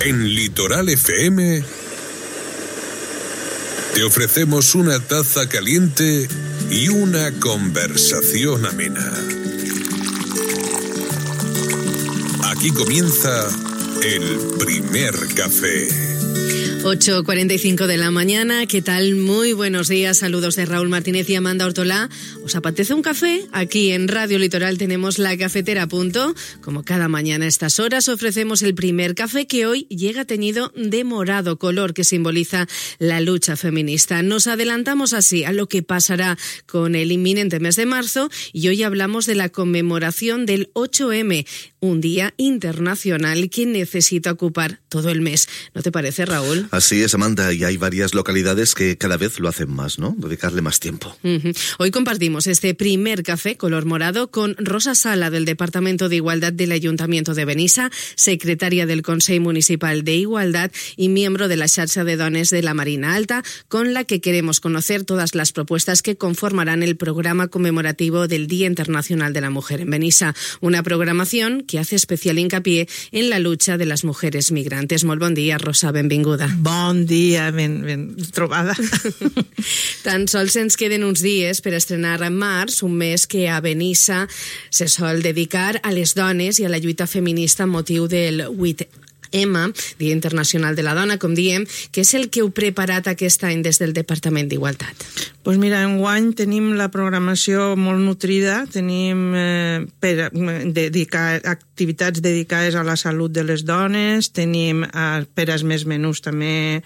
En Litoral FM te ofrecemos una taza caliente y una conversación amena. Aquí comienza el primer café. 8:45 de la mañana, ¿qué tal? Muy buenos días, saludos de Raúl Martínez y Amanda Ortolá. ¿Os apetece un café? Aquí en Radio Litoral tenemos la cafetera a punto. Como cada mañana a estas horas ofrecemos el primer café, que hoy llega teñido de morado, color que simboliza la lucha feminista. Nos adelantamos así a lo que pasará con el inminente mes de marzo y hoy hablamos de la conmemoración del 8M, un día internacional que necesita ocupar todo el mes. ¿No te parece, Raúl? Así es, Amanda, y hay varias localidades que cada vez lo hacen más, ¿no? Dedicarle más tiempo. Hoy compartimos este primer café color morado con Rosa Sala, del Departamento de Igualdad del Ayuntamiento de Benissa, secretaria del Consell Municipal de Igualdad y miembro de la Xarxa de Dones de la Marina Alta, con la que queremos conocer todas las propuestas que conformarán el programa conmemorativo del Día Internacional de la Mujer en Benissa, una programación que hace especial hincapié en la lucha de las mujeres migrantes. Molt bon dia, Rosa, benvinguda. Bon dia, ben trobada. Tan sols ens queden uns dies per estrenar en març, un mes que a Benissa se sol dedicar a les dones i a la lluita feminista amb motiu del 8M, Dia Internacional de la Dona, com diem, que és el que heu preparat aquest any des del Departament d'Igualtat. Pues mira, enguany tenim la programació molt nutrida, tenim activitats dedicades a la salut de les dones, tenim per als més menús també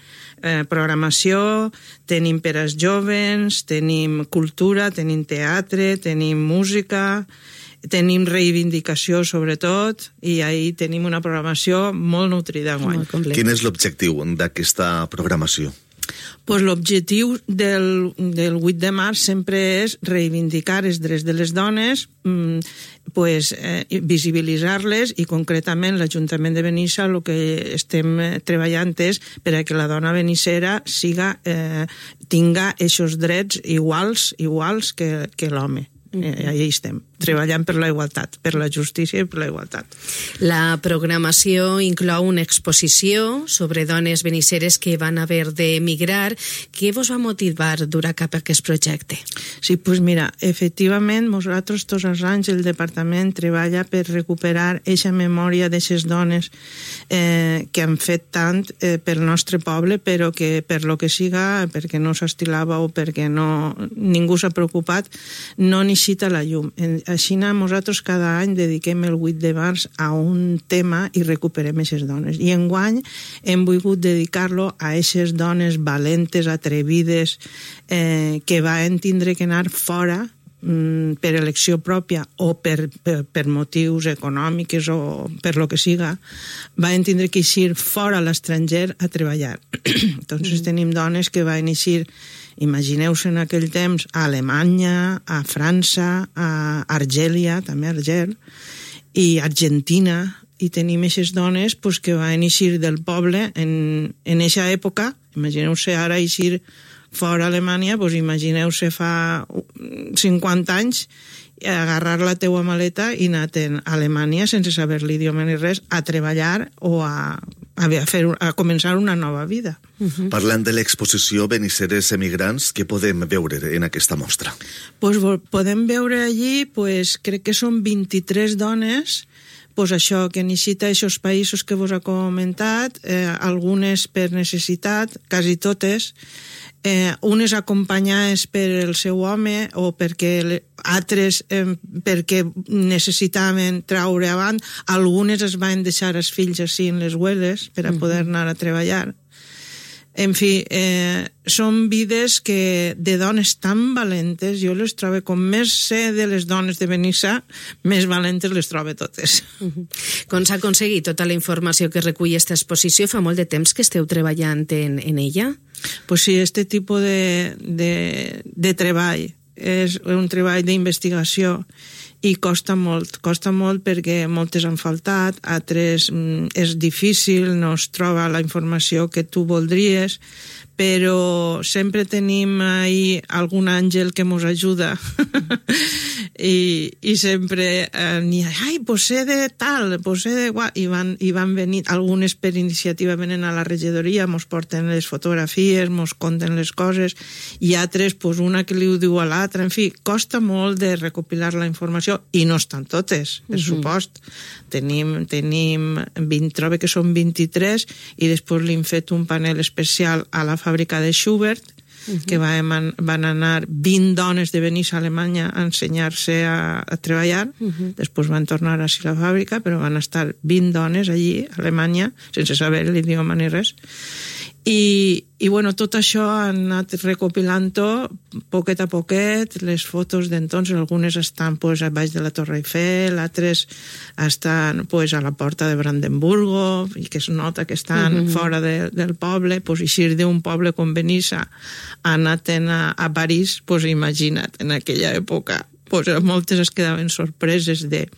programació, tenim per als jovens, tenim cultura, tenim teatre, tenim música, tenim reivindicació sobretot, i ahí tenim una programació molt nutrida enguany. Quin és l'objectiu d'aquesta programació? Pues l'objectiu del 8 de març sempre és reivindicar els drets de les dones, visibilitzar-les, i concretament l'Ajuntament de Benissa el que estem treballant és per a que la dona benissera tinga aquests drets iguals que l'home. Allà estem, treballant per la igualtat, per la justícia i per la igualtat. La programació inclou una exposició sobre dones benisseres que van haver d'emigrar. Què vos va motivar dur a cap aquest projecte? Sí, doncs mira, efectivament, nosaltres tots els anys el departament treballa per recuperar eixa memòria d'aquestes dones que han fet tant pel nostre poble, però que per lo que siga, perquè no s'estilava o perquè ningú s'ha preocupat, no n'hi cita la llum. Així nosaltres cada any dediquem el 8 de març a un tema i recuperem aquestes dones. I enguany hem volgut dedicar-lo a aquestes dones valentes, atrevides, que van tindre que anar fora per elecció pròpia o per motius econòmics o per lo que siga, van tindre que eixir fora a l'estranger a treballar. Entonces tenim dones que van eixir, imagineu-se en aquell temps, a Alemanya, a França, a Argèlia, també a Argel, i Argentina, i tenim aquestes dones que van eixir del poble en aquesta època. Imagineu-se ara eixir fora Alemanya, imagineu-se fa 50 anys, agarrar la teua maleta i anar a Alemanya sense saber l'idioma ni res, a treballar o a començar una nova vida. Parlant de l'exposició Benisseres emigrants, què podem veure en aquesta mostra? Podem veure allí, crec que són 23 dones, això que necessita aquests països que vos he comentat, algunes per necessitat, quasi totes, unes acompanyades per el seu home o perquè altres perquè necessitaven traure avant, algunes es van deixar els fills així en les hueles per a poder anar a treballar. En fi, són vides de dones tan valentes, jo les trobo, com més sé de les dones de Benissa, més valentes les trobo totes. Com s'ha aconseguit tota la informació que recull aquesta exposició? Fa molt de temps que esteu treballant en ella? Pues sí, este tipus de treball és un treball d'investigació i costa molt perquè moltes han faltat, altres és difícil, no es troba la informació que tu voldries, però sempre tenim ahí algun àngel que mos ajuda i sempre n'hi ha, ai, pues sé de tal, pues sé de guà, i van venir, algunes per iniciativa venen a la regidoria, mos porten les fotografies, mos conten les coses, i altres, pues una que li ho diu a l'altra, en fi, costa molt de recopilar la informació, i no estan totes, per supost. Tenim 20, trobo que són 23, i després li hem fet un panel especial a la fàbrica de Schubert, que van anar 20 dones de Benís a Alemanya a ensenyar-se a treballar, després van tornar a la fàbrica, però van estar 20 dones allí a Alemanya, sense saber l'idioma ni res, i bueno, tot això han anat recopilant-ho poquet a poquet, les fotos d'entonces, algunes estan pues, a baix de la Torre Eiffel, altres estan pues, a la porta de Brandenburgo, i que es nota que estan fora del poble, pues, eixir d'un poble com Benissa, anat a París, pues, imagina't, en aquella època, pues, moltes es quedaven sorpreses de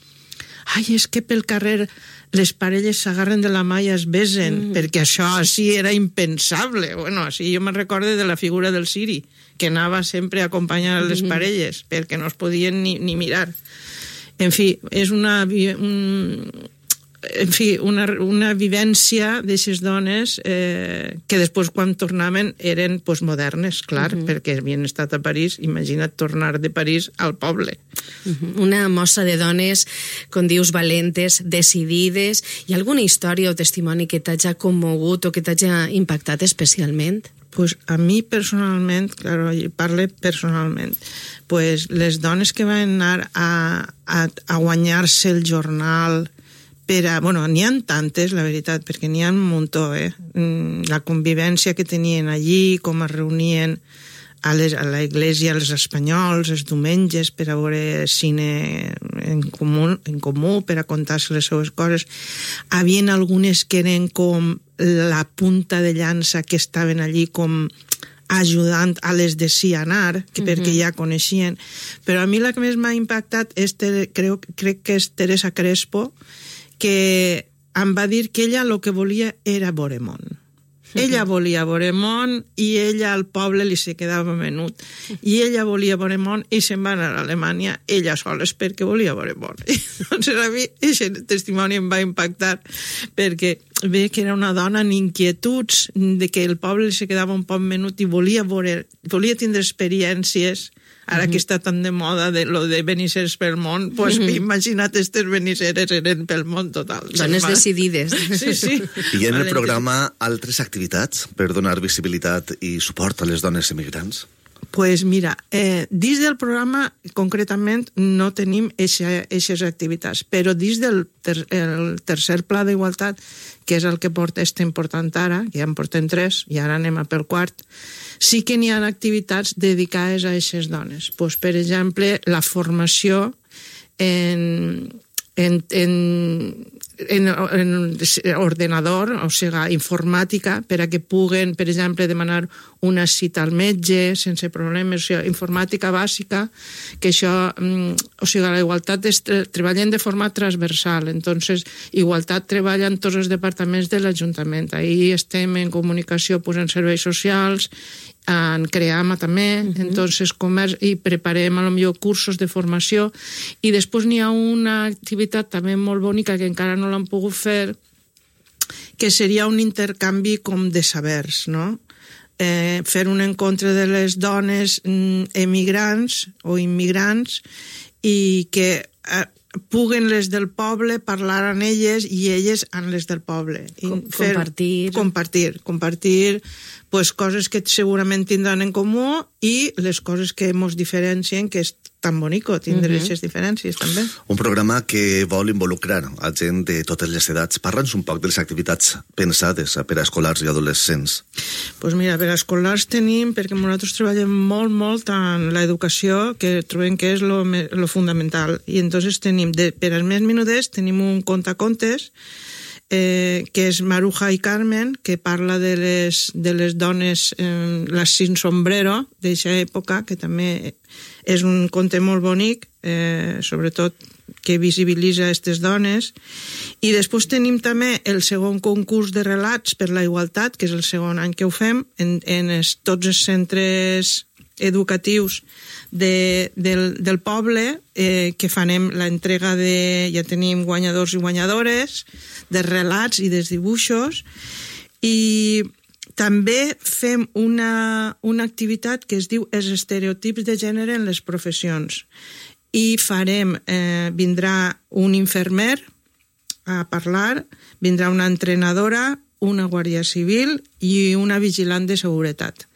ai, és que pel carrer les parelles s'agarren de la mà i es besen, perquè això així era impensable. Bueno, així jo me'n recordo de la figura del Siri, que anava sempre a acompanyar les parelles, perquè no es podien ni mirar. En fi, és una vivència d'aixes dones que després quan tornaven eren pues, modernes, clar, perquè havien estat a París, imagina't tornar de París al poble. Una mostra de dones, com dius, valentes, decidides. Hi ha alguna història o testimoni que t'hagi commogut o que t'hagi impactat especialment? Pues a mi personalment, claro, parlo personalment, pues les dones que van anar a guanyar-se el jornal bueno, n'hi ha tantes, la veritat, perquè n'hi ha un muntó, la convivència que tenien allí, com es reunien a la iglesia els espanyols, els diumenges, per a veure cine en comú, per a contar-se les seves coses. Havien algunes que eren com la punta de llança, que estaven allí com ajudant a les de sí anar, perquè ja coneixien. Però a mi la que més m'ha impactat crec que és Teresa Crespo, que em va dir que ella el que volia era veure món. Ella volia veure món i ella al poble li se quedava menut. I ella volia veure món i se'n va anar a Alemanya ella sola perquè volia veure món. Doncs a mi aquest testimoni em va impactar perquè ve que era una dona en inquietuds, de que el poble li se quedava un poc menut i volia tindre experiències. Ara que està tan de moda lo de benisseres pel món, pues imagina't, aquestes benisseres eren pel món total. Dones decidides. Sí. I en el programa altres activitats per donar visibilitat i suport a les dones emigrants? Pues mira, dins del programa concretament no tenim aquestes activitats, però dins del tercer pla d'igualtat, que és el que estem portant ara, que ja en portem 3 i ara anem a pel 4, sí que n'hi ha activitats dedicades a aquestes dones. Pues, per exemple, la formació en ordenador, o sigui, informàtica, per a que puguen, per exemple, demanar una cita al metge sense problemes, o sigui, informàtica bàsica, que això, o sigui, la igualtat treballen de forma transversal, entonces, igualtat treballa en tots els departaments de l'Ajuntament. Ahí estem en comunicació, pues, en serveis socials, en CREAMA també, entonces comerç, i preparem a lo millor cursos de formació, i després n'hi ha una activitat també molt bonica que encara no l'han pogut fer, que seria un intercanvi com de sabers, no? Fer un encontre de les dones emigrants o immigrants i que puguen les del poble parlar amb elles i elles amb les del poble. Compartir pues, coses que segurament tindran en comú i les coses que ens diferencien, que és tan bonico tindre aquestes diferències també. Un programa que vol involucrar a gent de totes les edats. Parla'ns un poc de les activitats pensades per a escolars i adolescents. Pues mira, per a escolars tenim, perquè nosaltres treballem molt en l'educació, que trobem que és lo fundamental. I entonces tenim, per als més menudets, tenim un contacontes, que és Maruja i Carmen, que parla de les dones, les sin sombrero, d'aquesta època, que també és un conte molt bonic, sobretot que visibilitza aquestes dones. I després tenim també el segon concurs de relats per la igualtat, que és el segon any que ho fem, en tots els centres educatius del poble, que farem l'entrega ja tenim guanyadors i guanyadores de relats i dels dibuixos, i també fem una activitat que es diu els estereotips de gènere en les professions, i vindrà un infermer a parlar, vindrà una entrenadora, una guàrdia civil i una vigilant de seguretat.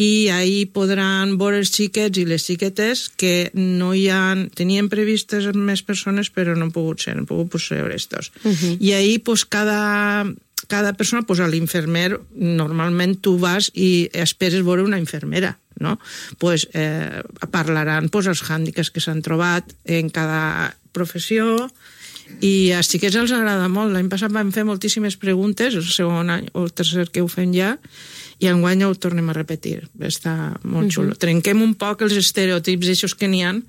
I ahir podran veure els xiquets i les xiquetes que no hi ha... Tenien previstes més persones, però no han pogut ser, han pogut ser estos. I ahir, pues, cada persona, pues, a l'infermer, normalment tu vas i esperes veure una infermera, no? Pues parlaran, pues, els hàndicaps que s'han trobat en cada professió, i als xiquets els agrada molt. L'any passat vam fer moltíssimes preguntes, el segon any o el tercer que ho fem ja, i enguany ho tornem a repetir. Està molt xulo. Trenquem un poc els estereotips d'aixòs que n'hi ha en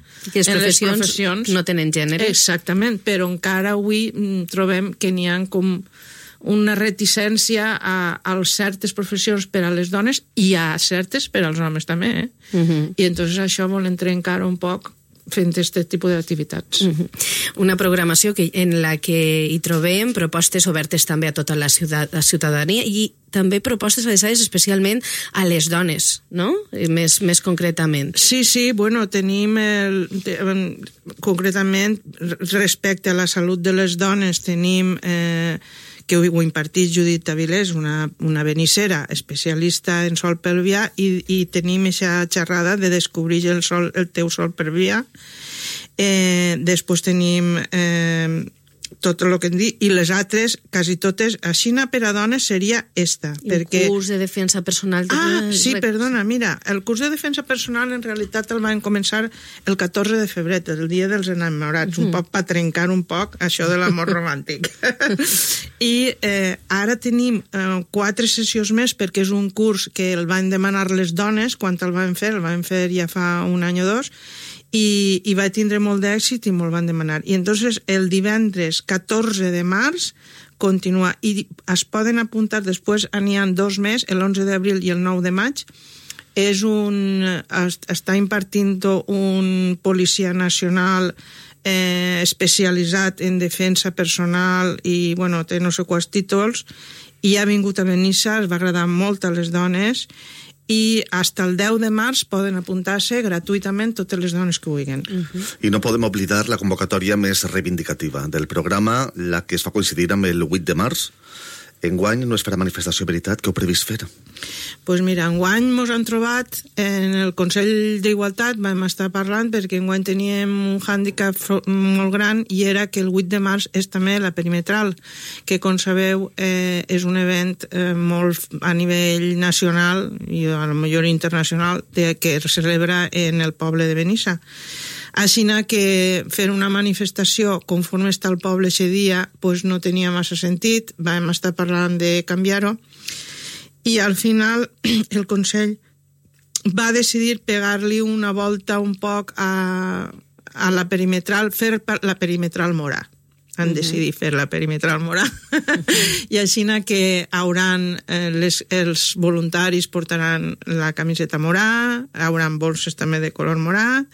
les professions. No tenen gènere. Exactament, però encara avui trobem que n'hi ha com una reticència a certes professions per a les dones i a certes per als homes també. I entonces això volem trencar un poc fent aquest tipus d'activitats. Una programació en la que hi trobem propostes obertes també a tota la ciutadania i també propostes adreçades especialment a les dones, no? Més concretament. Sí, bueno, tenim concretament respecte a la salut de les dones, tenim que ho impartís Judit Avilés, una benissera especialista en sol pelvià, i tenim aquesta xerrada de descobrir el teu sol pelvià. Després tenim tot el que hem dit, i les altres, quasi totes, així per a dones seria esta. El curs de defensa personal. Sí, perdona, mira, el curs de defensa personal en realitat el vam començar el 14 de febrer, el dia dels enamorats, un poc per trencar un poc això de l'amor romàntic. I ara tenim 4 sessions més, perquè és un curs que el van demanar les dones quan el van fer ja fa un any o dos, i va tindre molt d'èxit i molt van demanar. I entonces el divendres 14 de març continua, i es poden apuntar després, n'hi ha 2 més, l'11 d'abril i el 9 de maig. Està impartint un policia nacional especialitzat en defensa personal i, bueno, té no sé quants títols, i ha vingut a Benissa, es va agradar molt a les dones, i fins el 10 de març poden apuntar-se gratuïtament totes les dones que vulguin. I no podem oblidar la convocatòria més reivindicativa del programa, la que es fa coincidir amb el 8 de març. Enguany no es farà manifestació veritat, què heu previst fer? Doncs mira, enguany ens han trobat en el Consell d'Igualtat, vam estar parlant perquè enguany teníem un hàndicap molt gran, i era que el 8 de març és també la perimetral, que com sabeu és un event molt a nivell nacional i a lo millor internacional que es celebra en el poble de Benissa. Així que fer una manifestació conforme està el poble aquest dia pues no tenia massa sentit, vam estar parlant de canviar-ho, i al final el Consell va decidir pegar-li una volta un poc a la perimetral, fer la perimetral morà. Han decidit fer la perimetral morà. I així que hauran els voluntaris portaran la camiseta morà, hauran bolses també de color morà,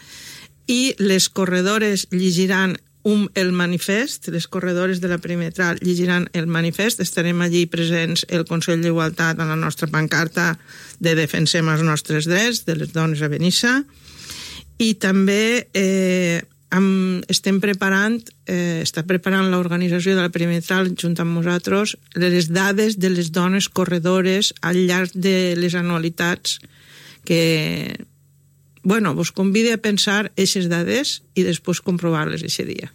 i les corredores llegiran el manifest, les corredores de la perimetral llegiran el manifest, estarem allí presents el Consell d'Igualtat a la nostra pancarta de defensem els nostres drets de les dones a Benissa, i també estem preparant, està preparant l'organització de la perimetral junt amb nosaltres les dades de les dones corredores al llarg de les anualitats que... Bueno, vos convide a pensar aquestes dades i després comprovar-les aquest dia.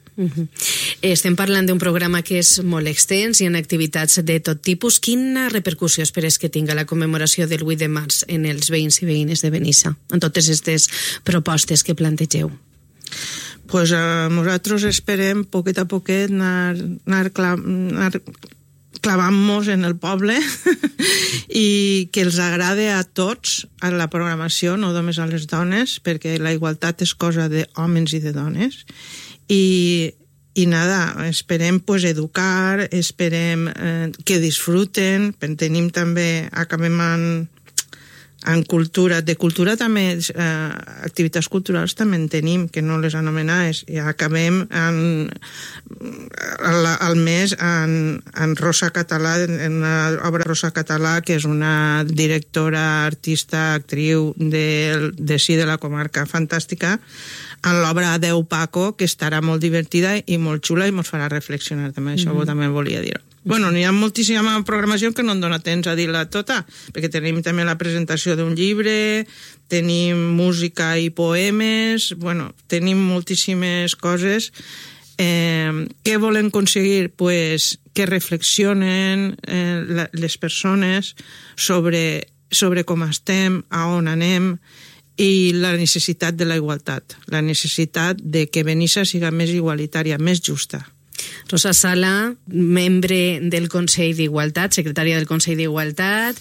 Estem parlant d'un programa que és molt extens i en activitats de tot tipus. Quina repercussió esperes que tinga la commemoració del 8 de març en els veïns i veïnes de Benissa, en totes aquestes propostes que plantegeu? Pues nosaltres esperem poquet a poquet anar clavant-nos en el poble i que els agrade a tots a la programació, no només a les dones, perquè la igualtat és cosa d'homes i de dones, i nada, esperem pues, educar, esperem que disfruten, tenim també, acabem en cultura, de cultura també, activitats culturals també en tenim, que no les anomenades, i acabem al mes en Rosa Català, en l'obra Rosa Català, que és una directora, artista, actriu de la comarca fantàstica, en l'obra Adeu Paco, que estarà molt divertida i molt xula i ens farà reflexionar també, això també volia dir-ho. Bueno, n'hi ha moltíssima programació que no em dona temps a dir-la tota, perquè tenim també la presentació d'un llibre, tenim música i poemes, bueno, tenim moltíssimes coses. Què volen aconseguir? Pues que reflexionen les persones sobre com estem, a on anem, i la necessitat de la igualtat, la necessitat de que Benissa siga més igualitària, més justa. Rosa Sala, membre del Consell d'Igualtat, secretària del Consell d'Igualtat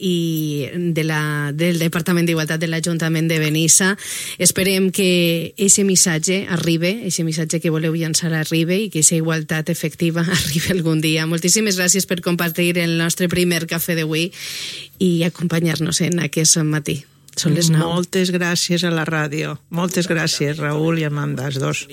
i del Departament d'Igualtat de l'Ajuntament de Benissa. Esperem que aquest missatge arribi, aquest missatge que voleu llançar arribi i que aquesta igualtat efectiva arribi algun dia. Moltíssimes gràcies per compartir el nostre primer cafè d'avui i acompanyar-nos en aquest matí. Són les 9. Moltes gràcies a la ràdio. Moltes gràcies, Raül i Amanda, els dos.